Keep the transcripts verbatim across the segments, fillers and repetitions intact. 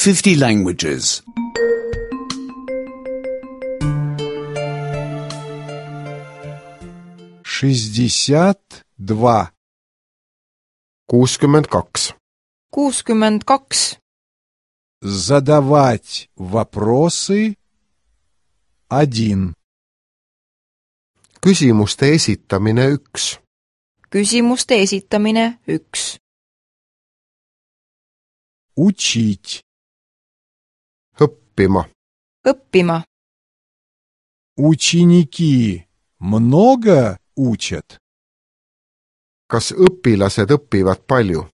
fifty languages. шестьдесят два. kuuskümmend kaks. kuuskümmend kaks. Задавать вопросы один. Küsimuste esitamine üks. Küsimuste esitamine üks. Учить. Õppima. Õppima. Ученики много учат? Kas õpilased õpivad palju?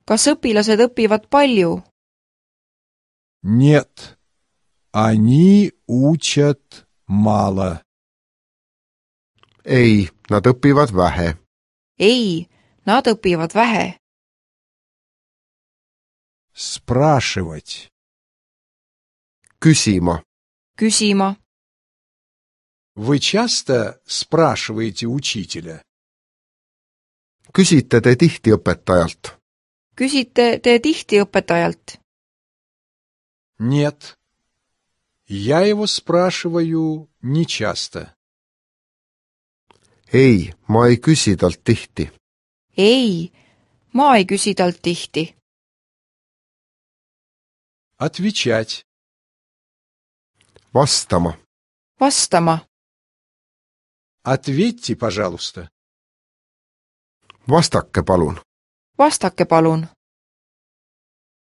Kas õpilased õpivad palju? Нет, они учат мало. Ei, nad õpivad vähe. Ei, nad õpivad vähe. Спрашивать. Küsima. Küsima. Вы часто спрашиваете учителя? Küsite te tihti õpetajalt? Küsite te tihti õpetajalt? Нет. Я его спрашиваю нечасто. Ei, ma ei küsi talt tihti. Ei, ma ei küsi talt tihti. Отвечать. Vastama. Vastama. Ответьте, пожалуйста. Vastake palun. Vastake palun.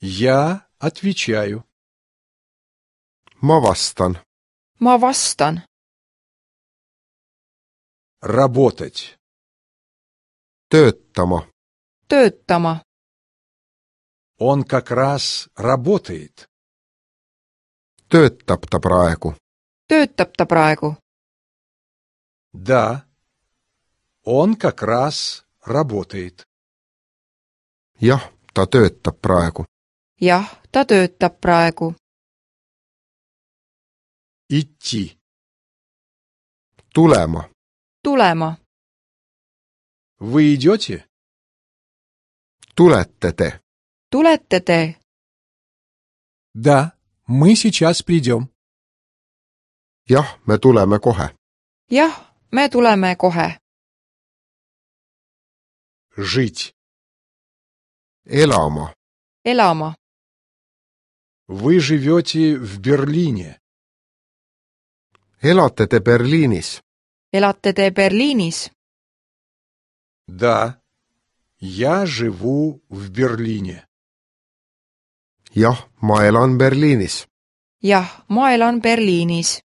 Я отвечаю. Ma vastan. Ma vastan. Работать. Töötama. Töötama. Он как раз работает. Töötab ta praegu. Töötab ta praegu. Да. Он как раз работает. Jah, ta töötab praegu. Jah, ta töötab praegu. Идти. Tulema. Tulema. Вы идете? Tulete te. Tulete te? Да, мы сейчас придем. Jah, me tuleme kohe. Jah, me tuleme kohe. Жить. Elama. Elama. Вы живете в Берлине. Elate te Berliinis? Elate te Berliinis? Да, я живу в Берлине. Jah, ma elan Berliinis. Jah, ma elan Berliinis.